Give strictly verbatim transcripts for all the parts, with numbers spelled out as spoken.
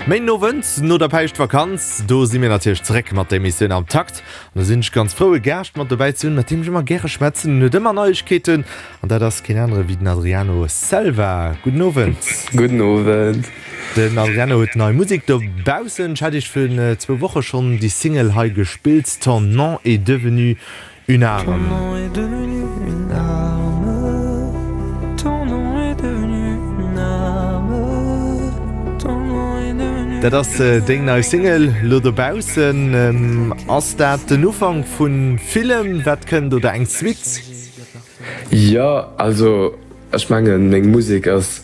Méinden Owend no der Päischtvakanz, do si mir natierlech zeréck mat der Emissioun Am Takt. An do sinn ech ganz frou e Gaascht mat dobäi ze hunn, mat deem ech ëmmer gäre schwätzen. En huet ëmmer Neiegkeeten an dat ass keen anere wéi den Adriano Selva. Gudden Owend. Gudden Owend. Den Adriano huet nei Musek dobaussen. Ech hat iech virun zwou Woche schonn déi Single hei gespillt, Ton nom est devenu Une arme. Dat ass deng nei Single lo dobaussen. Ass dat den Ufank vu villem wat kënnt oder eng Suite? Jo, also ech mengen meng Musek ass,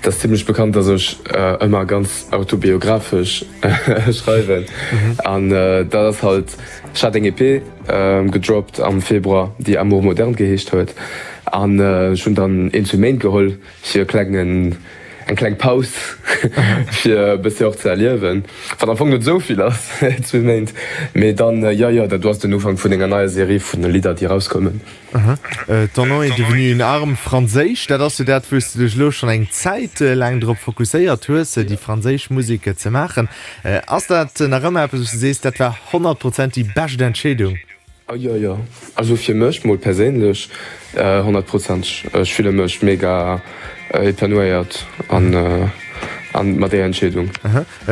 et ass zimlech bekannt, dass ech ëmmer ganz autobiographesch schreiwen an dat ass halt, ech hat eng EP gedroppt am Februar, déi Amour moderne geheescht huet an ech hunn dann een, zwee Méint geholl fir e klengen, eng kleng Paus fir e bëssi och ze erliewen, wat am Fong net esou vill ass, zwee Méint, mee dann, jo, jo, dat do ass den Ufank vun enger neier Serie vun Lidder, déi erauskommen. Ton nom est devenu une arme, franséisch, dat ass jo dat, wou s de dech elo schonn eng Zäit laang drop fokusséiert hues, déi franséisch Musek ze maachen. Ass dat nach ëmmer eppes, wou s de sees, dat war honnert Prozent déi bescht Entscheedung? Jo, jo, also fir mech mol perséinlech honnert Prozent. Ech fille mech mega épanouéiert an mat där Entscheedung.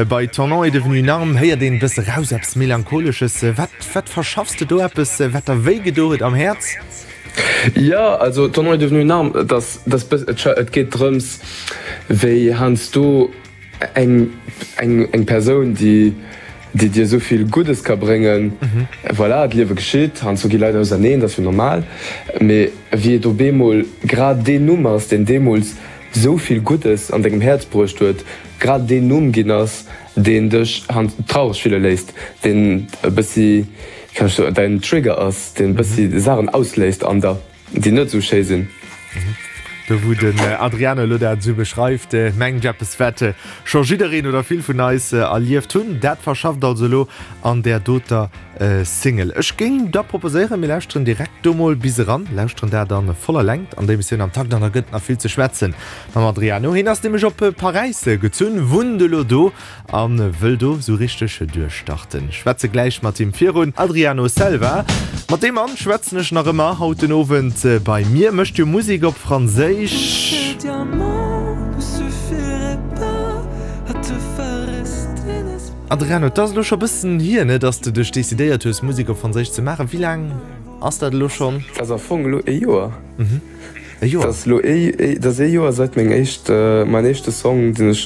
Bei Ton nom est devenu une arme héiert een e bësse raus eppes Melancholesches. Wat, wat verschaffs de do? Eppes, wat der wéi gedo huet am Häerz? Jo, also Ton nom est devenu une arme, et ass, et ass bëss, et geet drëms, wéi heiansdo eng, eng, eng Persoun, déi, déi dir esou vill Guddes ka bréngen, voilà, d'Liewe geschitt, heiansdo gi Leit auserneen, dat ass jo normal, mee wéi et op eemol grad deen Numm ass, deen deemools sou vill Guddes an dengem Häerz bruecht huet, grad deen Numm ginn ass, deen dech traureg fille léisst, deen e bëssi, wéi kann ech soen, däin Trigger ass, deen e bëssi Saachen ausléist an der, déi net esou schéi sinn. Do wou den Adriano elo dat esou beschreift, mengt ech eppes wat scho jiddereen oder vill vun eis erlieft hunn. Dat verschafft also elo an där doter Single. Ech géing da proposéieren, mir lauschteren direkt do mol bis eran, lauschteren dat a voller Längt an der Emissioun Am Takt an da gëtt nach vill ze schwätzen mam Adriano. Hien ass nämlech op Paräis gezunn, wunnt elo do a wëll do sou richteg duerchstarten. Schwätze gläich mat him virun. Adriano Selva, mat deem Mann schwätzen ech nach ëmmer haut den Owend bei mir, mécht jo Musek op Franséisch. Adriano, et ass elo scho bëssen hier, ne, dass de dech decidéiert hues, Musek op Franséisch ze maachen. Wéi laang ass dat elo schonn? Dat ass am Fong elo ee Joer. E Joer? Dat ass elo ee, dat ass ee Joer säit meng éischt, mäin éischte Song, deen ech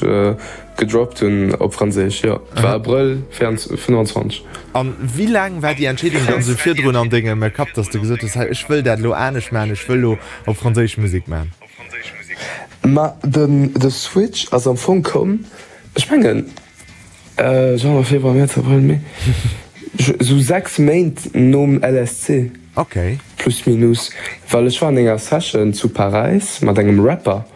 gedroppt hunn op Franséisch, jo. Et war Abrëll fënnwanzwanzeg. An wéi laang war déi Entscheedung dann esou virdrun an dengem Kapp, dass de gesot hues, hei, ech wëll dat elo anescht maachen, ech wëll elo op Franséisch Musek maachen? Ma den, de Switch ass am Fong komm, ech mengen, Januar, Februar, Mäerz, Abrëll, Mee, esou sechs Méint nom L S C. Okay. Plus minus, well ech war an enger Session zu Paräis mat engem Rapper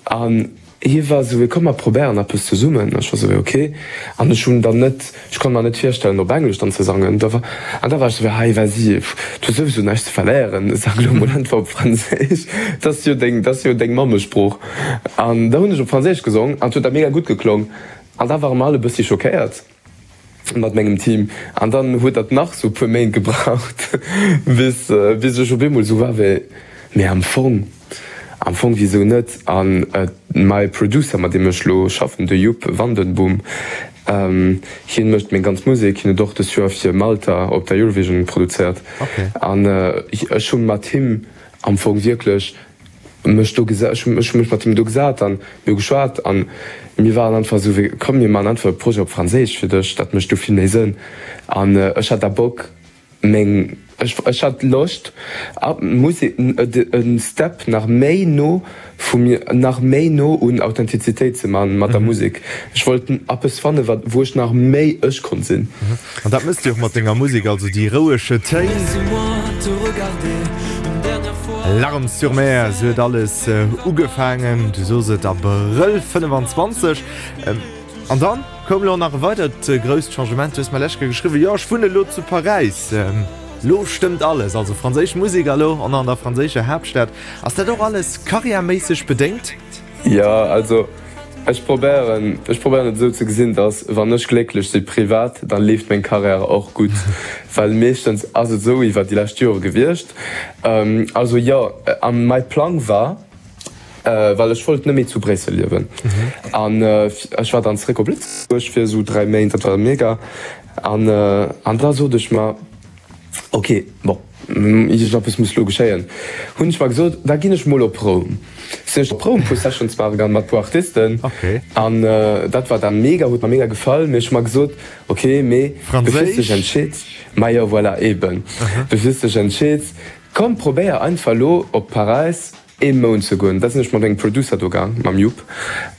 an hie war esou wéi, komm mer probéieren eppes zesummen. Ech war esou wéi, ok. An ech hunn dann net, ech konnt mer net virstellen op Englesch dann ze sangen. Da war, an da war ech esou wéi, hei vas-y, du hues souwisou näischt ze verléieren, sang elo mol einfach op Franséisch, dat ass jo deng, dat ass jo deng Mammesprooch. An da hunn ech op Franséisch gesong an et huet da mega gutt geklong. An da ware mer all e bëssi schockéiert mat mengem Team. An dann huet dat nach sou e puer Méint gebraucht, bis bis ech op eemol sou war wéi, mee am Fong, am Fong wisou net? An mäi Producer, mat deem ech lo schaffen, de Joep Vandenboom, hien mécht meng ganz Musek. Hien huet och dëst Joer fir Malta op der Eurovision produzéiert. An ech hu mat him am Fong wierklech mech do gesa, ech hu ech hu mech mat him do gesat an mir hu geschwat an mir waren einfach esou wéi, komm mir man einfach e Projet op Franséisch fir dech, dat mécht do vill méi Sënn. An ech hat da Bock meng, ech ech hat Loscht a Musek e Step nach méi no vu mir, nach méi no un Authentizitéit ze man mat der Musek. Ech wollt eppes fannen, wat wou ech nach méi ech konnt sinn. An dat mëss de och mat denger Musek, also déi rouege Téin. Larmes sur mer, esou huet alles ugefaangen, du sos et, Abrëll fënnefanzwanzeg. An dann koum elo nach e weidert grousst Changement, du hues mer lech geschriwwen, jo ech wunnen elo zu Paräis, lo stëmmt alles, also franséisch Musek a lo an an der franséischer Haaptstad. Ass dat och alles karriärméisseg bedéngt? Jo, also Ech probéieren, ech probéieren et esou ze gesinn, dass wann ech glécklech si privat, dann leeft meng Karriär och gutt, well meeschtens ass et esou iwwer déi lescht Jore gewiescht. Also jo, a mäi Plang war, well ech wollt net méi zu Bréissel liewen an ech war dann zeréck op Lëtzebuerg fir esou dräi Méint, dat war mega an an da sot ech mer, Ok, bon, iergendeppes muss lo geschéien, hunn ech mer gesot, da ginn ech mol op Roum. Sinn ech op Roum puer Sessions maache gaang mat puer Artisten an dat war da mega, huet mer mega gefall. Mee ech hu mer gesot, ok, mee bevir s dech entscheeds, majo voilà, eben, bevir s dech entscheeds, komm probéier einfach lo op Paräis ee Mount ze goen. Da sinn ech mat engem Producer do gaang, mam Jupp,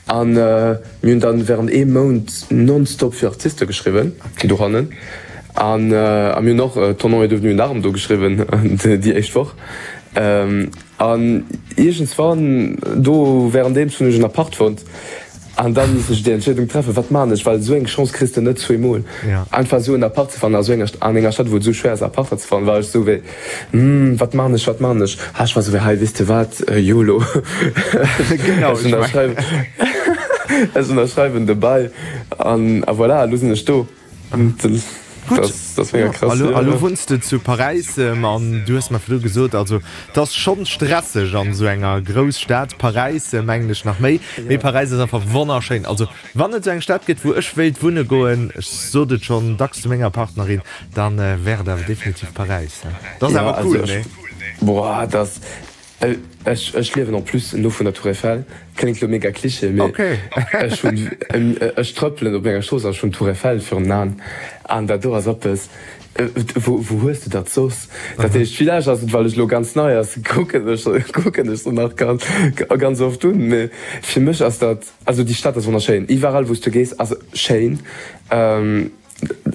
an mir hunn dann während ee Mount nonstop fir Artiste geschriwwen dohannen. An a mir hunn och Ton nom est devenu une arme do geschriwwen déi éischt Woch. An iergendswann do währenddeems hunn ech en Apart fonnt. An dann misst ech déi Entscheedung treffen, wat man ech, well esou eng Chance kriss de net zweemol. Einfach esou en Apart ze fannen a sou enger, an enger Stad wou et esou schwéier ass Aparter ze fannen, war ech esou wéi, hm, wat man ech, wat man ech? Ha ech war esou wéi, hei weess de wat, yolo, ech ënnerschreiwen, ech ënnerschreiwen de Bail an a voilà, elo sinn ech do. Gutt, a lo wunns de zu Paräis an du hues mer virdru gesot, also et ass schonn stresseg an esou enger Grousstad, Paräis mengen ech nach méi, mee Paräis ass einfach wonnerschéin. Also wann et esou eng Stad gëtt, wou ech wéilt wunne goen, ech sot et schonn dacks zu menger Partnerin, da wär et awer definitiv Paräis. Dat ass awer cool, nee? Boah, dat Ech ech liewen en plus no vun der Tour Eiffel. Kléngt lo mega Cliché, mee ech hunn ech trëppelen op menger Strooss an ech hunn d'Tour Eiffel virun den Aen an dat do ass eppes, wou wou hues de dat soss? Dat heescht, villäicht ass et well ech lo ganz nei ass, kucken ech kucken ech se nach ganz ganz oft un, mee fir mech ass dat, also déi Stad ass wonnerschéin, iwwerall wou s du gees ass schéin.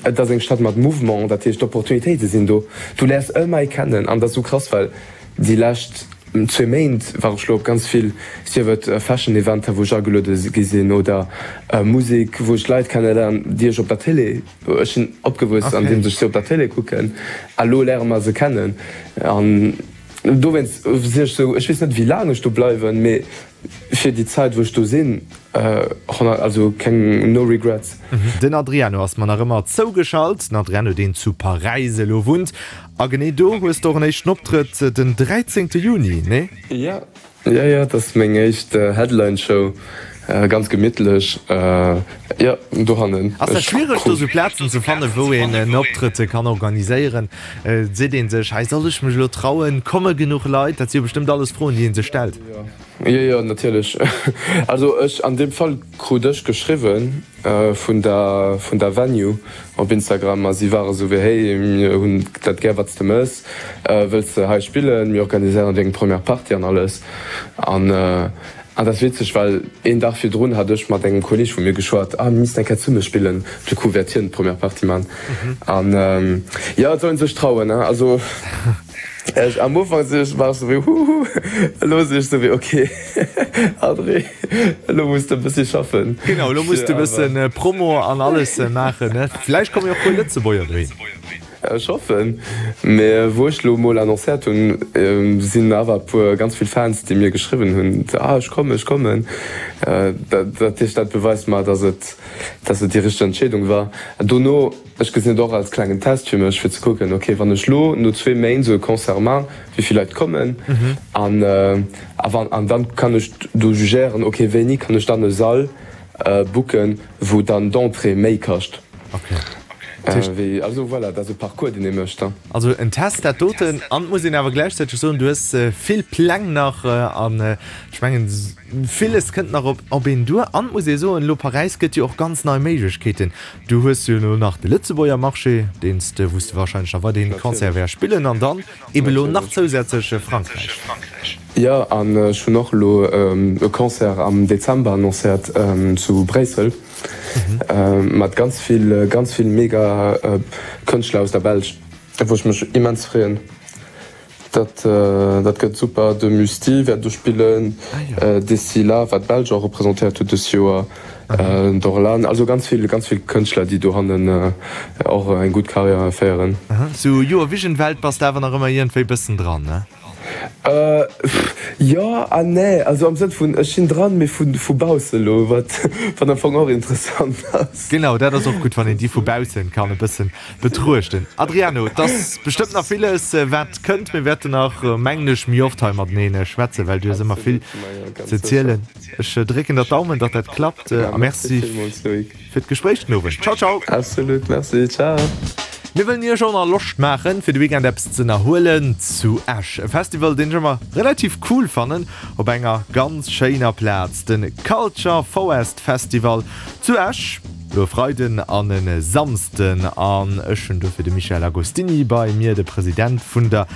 Et ass eng Stad mat Mouvement, dat heescht d'Opportunitéite sinn do. Du léiers ëmmer ee kennen an dat ass esou krass, well déi lescht zwee Méint war ech lo op ganz vill, sief et Fashion Eventer wou ech ageluede gi sinn oder Musek wou ech Leit kenneléieren, déi ech op der Télé, ech sinn opgewuess andeems ech si op der Télé kucken a lo léiere mer se kennen an dowéinst si ech esou, ech weess net wéi laang ech do bleiwen, mee Fir déi Zait wou ech do sin, also keng, no regrets. Den Adriano ass mer nach ëmmer zougeschalt. Den Adriano, deen zu Paräis elo wunnt. A genee do hues de och en éischten Optrëtt den dräizéngte Juni, nee? Jo, jo, jo, dat ass meng éischt Headline Show. Ganz gemittlech, jo, dohannen. Ass dat schwiereg do sou Plazen ze fannen, wou een en Optrëtt kann organiséieren? Seet een sech, hei soll ech mech elo trauen, komme genuch Leit? Dat si jo bestëmmt alles Froen, déi ee sech stellt. Jo, jo, natierlech. Also ech, an deem Fall krut ech geschriwwen vun der, vun der Venue op Instagram a si ware sou wéi, hey, mir hunn dat gär wat s de mëss, wëlls de hei spillen, mir organiséieren deng Première Partie an alles. An An dat ass witzeg, well een Dag virdrun hat ech mat engem Kolleeg vu mir geschwat, ah mir missten eng Kéier zesumme spillen, du coup wäert hien d'Première Partie man. An jo, et soll een sech trauen, hein. Also ech am Ufank si ech, war ech sou wéi huhu, elo si ech sou wéi ok Adri, elo muss de e bëssi schaffen. Genau, elo muss de e bëssen Promo an alles maachen, ne? Vläicht komme jo och puer Lëtzebuerger dohin. Ech hoffen, mee wou ech lo mol annoncéiert hunn, sinn awer e puer ganz vill Fans déi mir geschriwwen hunn, ah ech kommen, ech kommen. Dat heescht dat beweist mer, dass et dass et déi richteg Entscheedung war. Dono, ech gesinn et och als klengen Test fir mech, fir ze kucken, ok wann ech lo no zwee Méint esou e Concert man, wéi vill Leit kommen an a wann an dann kann ech do jugéieren, ok wéini kann ech dann e Sall booken, wou dann d'Entrée méi kascht. Wéi, also voilà, dat ass e Parcours, deen ee mécht. Also en Test, dat doten. An et muss een awer gläichzäiteg soen, du hues vill Pläng nach an ech mengen, villes kënnt nach op op een duer. An et muss ee soen, elo Paräis gëtt jo och ganz nei Méiglechkeeten. Du hues jo elo nach de Lëtzebuerger Marché, deen s de, wou s de wahrscheinlech nach weiderhin Concerte wäers spillen an dann ebe lo nach zousätzlech Frankräich. Jo, an ech hunn och elo e Concert am Dezember annoncéiert zu Bréissel. Mat ganz vill ganz vill mega Kënschtler aus der Belsch, wou ech mech immens freeën. Dat dat gëtt super. De Mustii wäert do spillen, Dessila, wat d'Belsch och representéiert huet dës Joer, Dorlan, also ganz vill ganz vill Kënschtler, déi dohannen och eng gutt Karriär féieren. Sou Eurovision-Welt bass de awer nach ëmmer iergendwéi bëssen dran, ne? Jo an nee, also am Sënn vun ech sinn dran, mee vu vu bausse elo, wat wat am Fong och interessant ass. Genau, dat ass och gutt, wann een déi vu baussen kann e bëssen betruechten. Adriano, et ass bestëmmt nach villes wat kënnt. Mir wäerten nach, mengen ech, méi oft hei matenee schwätzen, well du hues ëmmer vill ze zielen. Ech drécken der d'Daumen, datt dat klappt a merci fir d'Gespréich den Owend. Ciao, ciao! Absolut, merci, ciao! Mir wëllen iech och nach Loscht maachen, fir de Weekend eppes ze ënnerhuelen zu Esch. E Festival, deen ech ëmmer relativ cool fannen, op enger ganz schéiner Plaz, de Culture Forest Festival zu Esch, elo e Freiden an e Samsden. An ech hunn dofir de Michel Agostini bei mir, de President vun der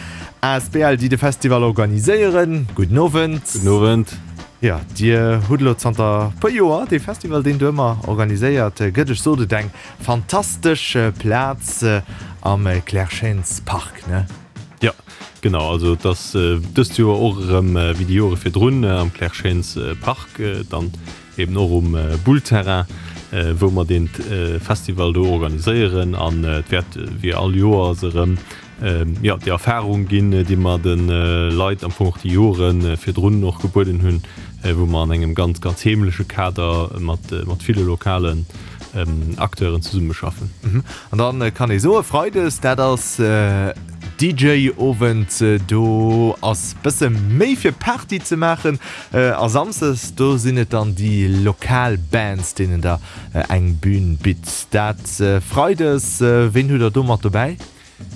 asbl, déi de Festival organiséieren. Gudden Owend. Gudden Owend. Jo, Dir hutt elo zanter puer Joer dee Festival, deen do ëmmer organiséiert gëtt. Ech sot et, eng fantastesch Plaz am Clair-Chênes Park, ne? Jo, genau. Also et ass dëst Joer och erëm wéi déi Jore virdrun am Clair-Chênes Park, dann eben och um Boule-Terrain, wou mer dee Festival do organiséieren. An et wäert wéi all Joers erëm jo, déi Erfahrung ginn, déi mer de Leit am Fong och déi Jore virdrun och gebueden hunn, wou mer an engem ganz, ganz heemleche Kader mat, mat ville lokalen Acteuren zesummeschaffen. An da kann ee soen, Freides, dat ass D J-Owend, do ass bësse méi fir Party ze maachen. A Samsdes, do sinn et dann déi lokal Bands, deenen Der eng Bün bitt. Dat Freides, ween hutt Der do mat dobäi?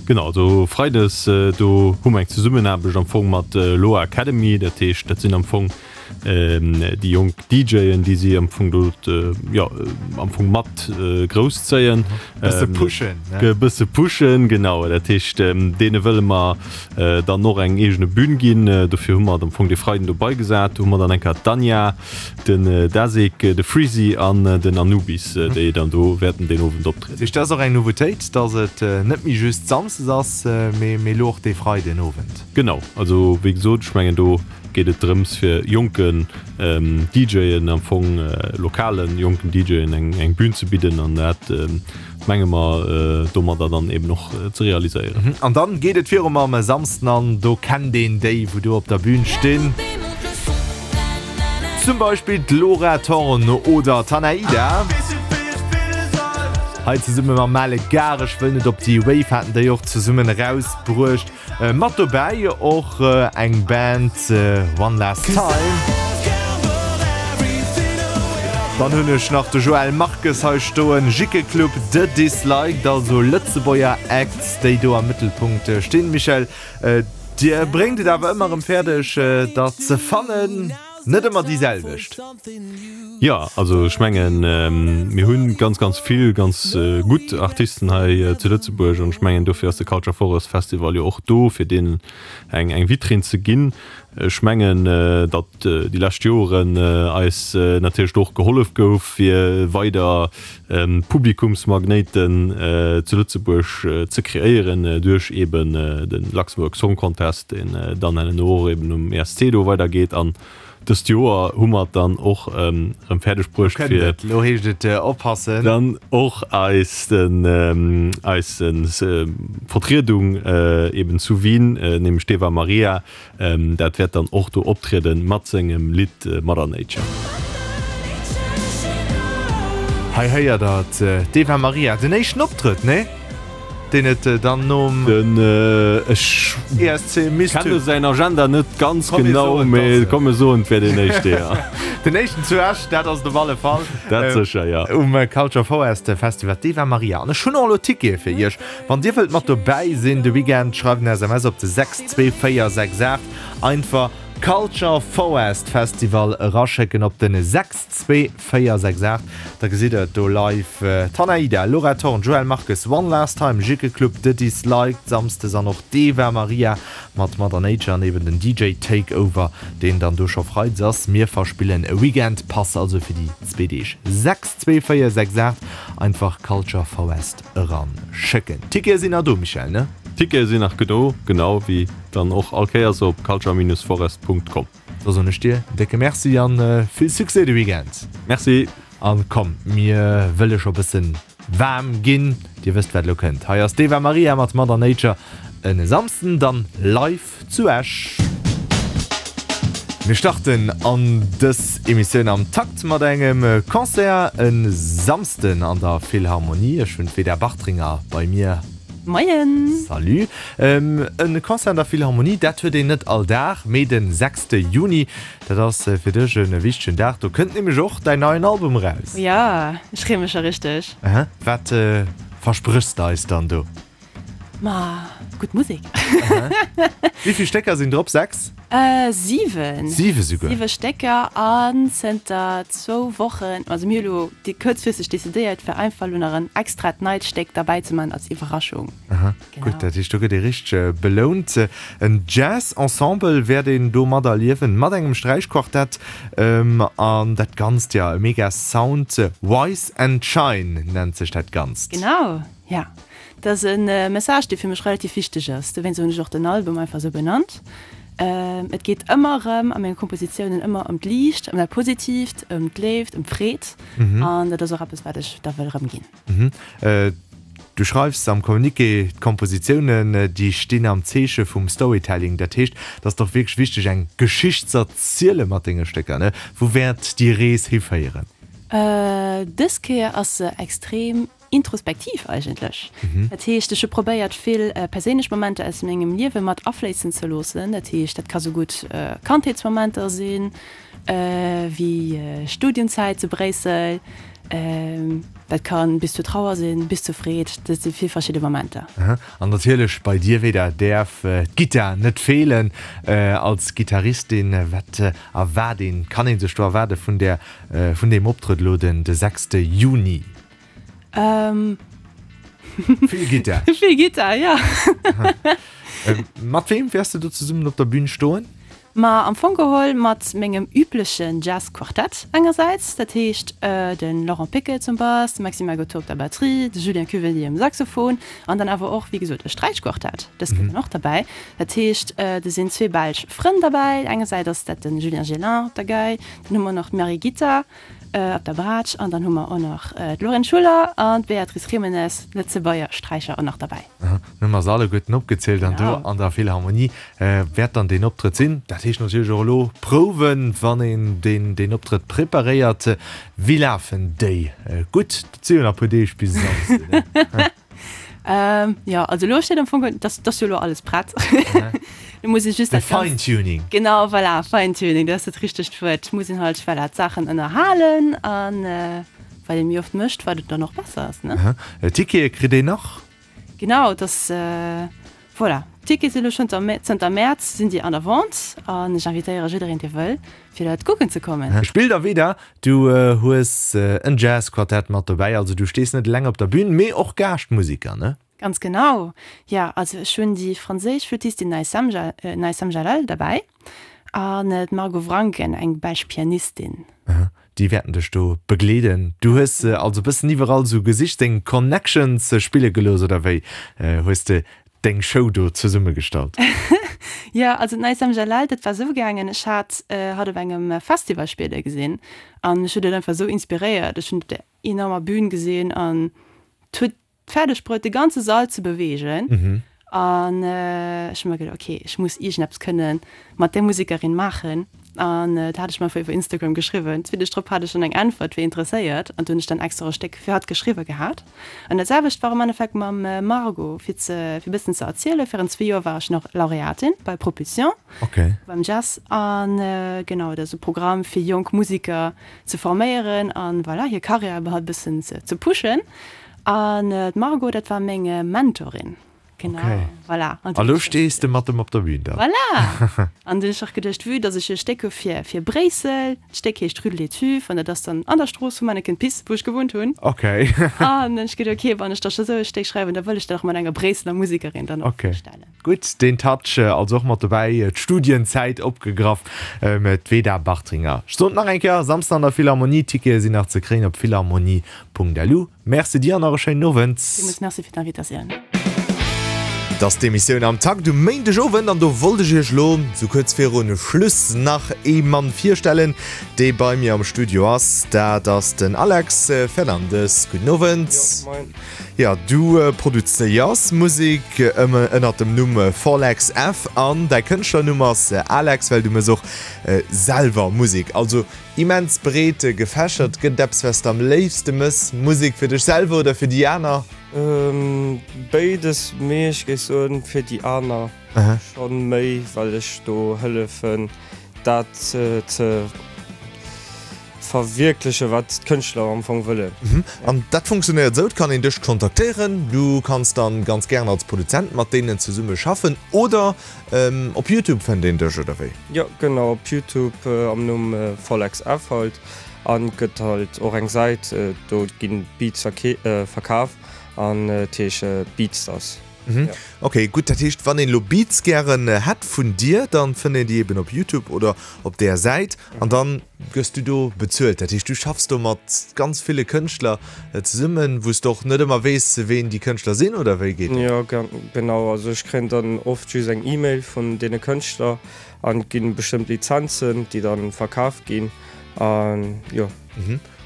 Genau, also Freides, do hu mer eng Zesummenaarbecht am Fong mat Loa Academy. Dat heescht, dat sinn am Fong déi jonk DJen, déi si am Fong do, jo, am Fong mat grousszéien. Bësse pushen, ne? Bësse pushen, genau. Dat heescht, deene wëlle mer dann och eng eegene Bün ginn. Dofir hu mer am Fong dee Freiden do beigesat. Do hu mer dann eng Kéier d'Anja, den Dasik, de Freezy an den Anubis, déi dann do wäerten deen Owend optrieden. Dat heescht, dat ass och eng Nouveautéit, dass et net méi just samsdes ass, mee elo och dee Freiden Owend. Genau, also wéi gesot, ech mengen do geet et drëms fir jonken DJen am Fong, lokalen jonken DJen eng Bühn ze bidden an dat menge mer domadder dann eben och ze realiséieren. An dann geet et viru mam Samsden an do kennt een déi wou do op der Bühn stinn. Zum Beispill d'Laura Thorn oder d'Hanaida. Hei zesumme mam Male Gar, ech wëll net op déi Wave haten déi och zesummen erausbruecht. Mat dobäi och eng Band, One Last Time. Dann hunn ech nach de Joël Marques hei stoen, Jikke Club, The Disliked, also Lëtzebuerger Acts, déi do am Mëttelpunkt stinn. Michèle, Dir bréngt et awer ëmmer erëm fäerdeg, der ze fannen, net ëmmer déi selwecht. Jo, also ech mengen, mir hu ganz, ganz vill ganz gutt Artisten hei zu Lëtzebuerg an ech mengen, dofir ass de Culture Forest Festival jo och do, fir deenen eng, eng Vitrinn ze ginn. Ech mengen, datt déi lescht Joren eis natierlech do och gehollef gouf, fir weider Publikumsmagnéiten zu Lëtzebuerg ze kreéieren duerch eben de Luxembourg Song Contest, deen dann herno och eben um E S C do weidergeet. An dëst Joer hu mer et dann och erëm fäerdeg bruecht, fir Elo heescht et oppassen. Dann och eis eis Vertriedung eben zu Wien, nämlech d'Eva Maria, dat wäert dann och do optrieden mat sengem Lidd Mother Nature. Hei héiert der d'Eva Maria, den éischten Optrëtt, nee? Deen et dann nom Den, ech E S C misst kenne säin Agenda net ganz Komm, mir genau, soen, mee dass, komm mir soen, et wär deen éischte, jo. Den éischten zu Esch, dat ass et op alle Fall. Dat sécher, jo. Um Culture Forest Festival, d'Eva Maria. An ech hunn och elo Tickete fir iech. Wann dir wëllt mat dobäi sinn de Weekend, schreift en S M S op de sechs zwee véier sechs aacht. Einfach Culture Forest Festival eraschécken op den sechs zwee véier sechs aacht, da gesitt der et do live, Tanaida, Laura Thorn, Joël Marques, One Last Time, Jikke Club, The Disliked, Samsdes an och d'Eva Maria mat Mother Nature an eben den D J Takeover, deen dann do scho freides ass. Mir verspillen e Weekend Pass also fir déi zwee Deeg. Sechs zwee véier sechs aacht, einfach Culture Forest eran schécken. Tickete sinn nach do, Michèle, ne? Tickete sinn nach do, genau wéi dann och all Kéiers op culture forest punkt com. Da soen ech dir en décke Merci an vill Succès de Weekend. Merci. An komm, mir wëlle scho bëssen waarm ginn. Dir wësst wat elo kënnt. Hei ass d'Eva Maria mat Mother Nature en Samsden dann live zu Esch. Mir starten an dës Emissioun am Takt mat engem Concert e Samsden an der Philharmonie. Ech hunn d'Veda Bartringer bei mir. Moien! Salut! E Concert an der Philharmonie, dat huet een net all Dag, mee de sechste Juni, dat ass fir dech e wichtegen Dag. Do kënnt nämlech och däin neien Album eraus. Jo, ech freeë mech scho richteg. Aha, wat verspréchs de eis dann do? Ma gutt Musek. Wéi vill Stécker sinn drop? Sechs? Siwen. Siwe souguer? Siwe Stécker an zënter zwou Wochen, also mir hu lo kuerzfristeg decidéiert, fir einfach lo nach en extrat neit Stéck derbäi ze man als Iwwerraschung. Aha, gutt, dat heescht do gëtt ee richteg belount. En Jazz-Ensemble wäert een do materliewen, mat engem Sträichquartett an dat Ganzt, jo, e mega Sound. Wise and Shine nennt sech dat Ganzt. Genau, ja. Dat ass e Message, dee fir mech relativ wichteg ass. Dowéinst hunn ech och den Album einfach esou benannt. Et geet ëmmer erëm a menge Kompositiounen ëmmer ëm d'Liicht, ëm dat Positiivt, ëm d'Léift, ëm d'Freed. An dat ass och eppes, wat ech da wëll erëmginn. Du schreifs am Communiqué, D'Kompositiounen, déi stinn am Zeeche vum Storytelling. Dat heescht, et ass dach wierklech wichteg, eng Geschicht z'erziele mat denge Stécker, ne? Wou wäert déi Rees hiféieren? Dës Kéier ass se extrem introspektiv eigentlech. Dat heescht, ech hu probéiert, vill perséinlech Momenter aus mengem Liewe mat afléissen ze loossen. Dat heescht, dat ka sou gutt Kandheetsmomenter sinn, wéi Studienzäit zu Bréissel, dat ka bis zur Trauer sinn, bis zur Freed, dat si vill verschidde Momenter. An natierlech bei dir, Veda, däerf d'Gittar net feelen. Als Gittaristin, wat erwaart een, kann ee sech do erwaarde vun där, vun deem Optrëtt elo den de sechste Juni? Ähm. Vill Gittar. Vill Gittar, ja. Mat weem wäers de do zesummen op der Bühn stoen? Ma am Fong geholl mat mengem üblechen Jazz-Quartett engersäits, dat heescht de Laurent Piquet zum Bass, de Maxime Agotto op der Batterie, de Julien Cuvelier um Saxophon an dann awer och, wéi gesot, e Sträichquartett, dës Kéier dann och derbäi. Dat heescht, do sinn zwee belsch Frënn derbäi, engersäits ass dat de Julien Gélin op der Gei, dann hu mer nach d'Marie Gittar, Op der Braatsch an dann hu mer och nach d'Lorraine Schuller an d'Beatrice Jimenez, Lëtzebuerger Sträicher, och nach derbäi. Dann hu mer se alleguerten opgezielt an do an der Philharmonie wäert dann deen Optrëtt sinn. Dat heescht natierlech och elo Prouwen, wann een deen deen Optrëtt preparéiert. Wéi lafen déi? Gutt, dat si jo nach e puer Deeg bis e Samsden, ne? Jo, also elo steet am Fong, dat ass jo elo alles prett. Lo muss ee just dat Ganzt. Fine-Tuning. Genau, voilà, Fine-Tuning, dat ass dat richtegt Wuert. Muss een halt, voilà, d'Saachen ënnerhalen an wat ee méi oft mécht, wat et dann och besser ass, ne? Tickete kritt een nach? Genau, et ass, voilà, d'Tickete sinn elo schonn zënter Mäerz sinn déi an der Vente an ech invitéiere jiddereen, dee wëll, fir dat kucken ze kommen. Spillt a Veda, du hues en Jazz-Quartett mat dobäi, also du stees net eleng op der Bühn, mee och Gaaschtmusiker, ne? Ganz genau, jo. Also ech hunn déi franséisch Flüttistin Naïssam Naïssam Jalal derbäi an d'Margot Vrancken, eng belsch Pianistin. Aha, déi wäerten dech do begleeden. Du hues se also e bëssen iwwerall esou gesicht, deng Connections spille gelooss, oder wéi hues de deng Show do zesummegestallt? Jo, also d'Naïssam Jalal, dat war esou gaangen, ech hat hatt op engem Festival spille gesinn an mech huet et einfach esou inspiréiert. Ech hunn op där enormer Bühn gesinn an et huet fäerdeg bruet, de ganze Sall ze beweegen. An ech hu mer geduet, ok, ech muss iergendeppes kënne mat där Musekerin maachen. An dat hat ech mer einfach iwwer Instagram geschriwwen. Zwee Deeg drop hat ech dann eng Äntwert, wier interesséiert. An du hunn ech dann extra e Stéck fir hatt geschriwwe gehat. An dat selwecht war am Endeffekt mam Margot, fir ze, fir e bëssen ze erzielen, Virun zwee Joer war ech nach Laureatin bei Propulsion, beim Jazz. An genau, dat ass e Programm fir jonk Museker ze forméieren an voilà, hir Karriär iwwerhaupt e bëssen ze, ze pushen. An d'Margot, dat war meng Mentorin. Genau, Okay. voilà. An A lo stees de mat em op der Bühn dann. Voilà! An du hunn ech och geduecht, vue dass ech e Stéck hu fir, fir Bréissel, d'Stéck heescht Rue de l'Étuve an dat ass dann an der Strooss vu Manneken Pis, wou ech gewunnt hunn. Okay. An hunn ech geduecht, okay, wann ech da scho sou e Stéck schreiwen, da wëll ech dat och mat enger Bréisseler Musekerin dann och Okay. virstellen. Gutt, deen Touch also och mat dobäi, d'Studienzäit opgegraff, d'Veda Bartringer. Ech soen et nach eng Kéier, Samsden an der Philharmonie, Tickete sinn nach ze kréien op philharmonie.lu. Merci dir an nach e schéinen Owend. Villmools Merci fir d'Invitatioun. Et ass d'Emissioun Am Takt um Méindegowend an do wollt ech iech lo sou kuerz virun Schluss nach ee Mann virstellen, dee bei mir am Studio ass. Dat ass den Alex Fernandes. Gudden Owend. Jo, moien. Jo, du produzéiers Musek ënnert dem Numm Forlex F an däi Kënschtlernumm ass Alex, well du mëss och selwer Musek. Also immens breet gefächert. Gëtt et eppes, wat s de am léifste mëss, Musek fir dech selwer oder fir déi aner? Béides, mee ech géif soen fir déi aner schonn méi, well ech do hëllefen dat ze verwierklechen, wat d'Kënschtler am Fong wëllen. An dat funktionéiert esou, et kann een dech kontaktéieren, du kanns dann ganz gären als Produzent mat deenen zesumme schaffen oder op Youtube fënnt een dech, oder wéi? Jo genau, op Youtube am Numm Follex F halt. An gëtt halt och eng Säit, do ginn Beats verkaf an et heesch Beatstars. Ok gutt, dat heescht wann een elo Beats gären hätt vun dir, dann fënnt een déi eben op Youtube oder op där Säit an dann gëss du do bezuelt. Dat heescht du schaffs do mat ganz ville Kënschtler zesummen, wou s de och net ëmmer weess ween déi Kënschtler sinn oder wéi geet dat? Jo genau, also ech kréien dann oft just eng Email vun deene Kënschtler an et ginn bestëmmt Lizenzen déi dann verkaf ginn an jo.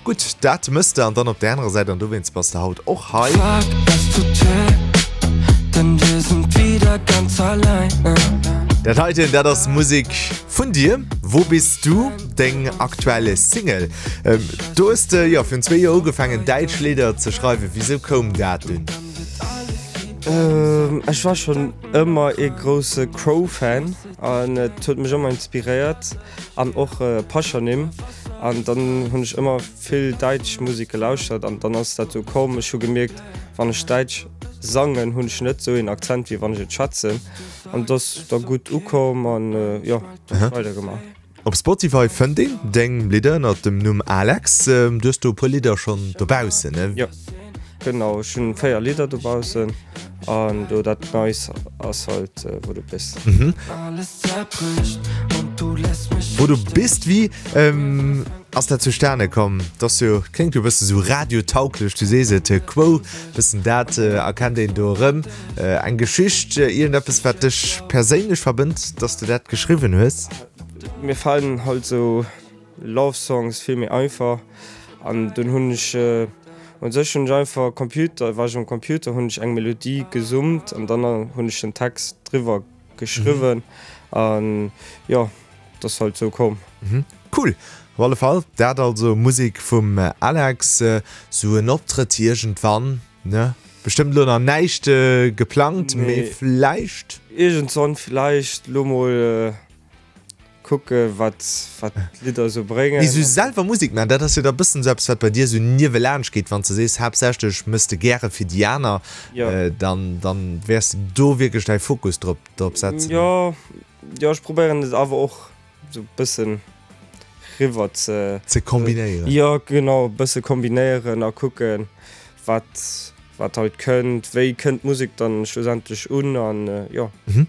Gutt, dat mëss de an dann op där anerer Säit, an dowéinst bass de haut och hei, Dat heiten, dat ass Musek vun dir. Wo bist du? Deng aktuell Single. Do hues de jo virun zwee Joer ugefaangen däitsch Lidder ze schreiwen. Wisou koum dat dunn? Ech war schonn ëmmer ee grousse Cro-Fan an et huet mech ëmmer inspiréiert an och Paschanim. An dann hunn ech ëmmer vill däitsch Musek gelauschtert an dann ass dat sou komm. Ech hu gemierkt, wann ech däitsch sangen, hunn ech net sou een Akzent wéi wann ech et schwätzen. An et ass da gutt ukomm an jo, dann hu ech weidergemaach. Op Spotify fënnt een deng Lidder ënnert dem Numm Alex. Du hues do e puer Lidder schonn dobaussen, ne? Jo, genau, ech hunn véier Lidder dobaussen an do dat Neist ass halt Wo du bist. Wo du bist, wéi ass dat zustane komm? Dat ass jo, kléngt jo e bësse sou radiotauglech, du sees et, Quo, bëssen dat erkennt een do erëm. Eng Geschicht, iergendeppes wat dech perséinlech verbënnt, dass de dat geschriwwen hues? Mir falen halt sou Love Songs vill méi einfach an dunn hunn ech un sech hunn ech einfach Computer war ech um Computer hunn ech eng Melodie gesummt an dann hunn ech den Text driwwer geschriwwen an jo et ass halt sou komm. Cool, op alle Fall dat also Musek vum Alex, sou en Optrëtt iergendwann ne? Bestëmmt elo nach näischt geplangt, mee vläicht? Iergendswann vläicht, lo mol Kucke wat wat d'Lidder esou bréngen. Mee sou selwer Musek maachen, dat ass jo da bëssen esou eppes wat bei dir esou niewelaanscht geet. Wann s de sees haaptsächlech mëss de gäre fir déi aner, dann dann wäers de do wierklech däi Fokus drop drop setzen. Jo, jo ech probéieren et awer och esou bëssen riwwer ze. Ze kombinéieren. Jo genau, bësse kombinéieren a kucken wat Wat halt kënnt, wéi kënnt d'Musek dann schlussendlech un an jo.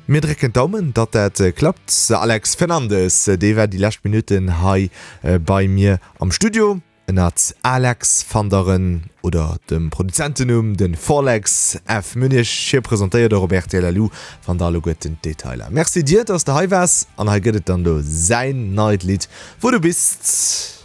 Mir drécken d'Daumen, datt dat klappt. Alex Fernandes, dee war déi lescht Minutten hei bei mir am Studio ënnert Alex van der en oder dem Produzentennumm den Forlex F. Munich. Hie presentéiert och op rtl LU wann der alleguerten d'Detailer. Merci dir, datt s de hei waars an hei gëtt et dann elo säin neit Lidd Wo du bist.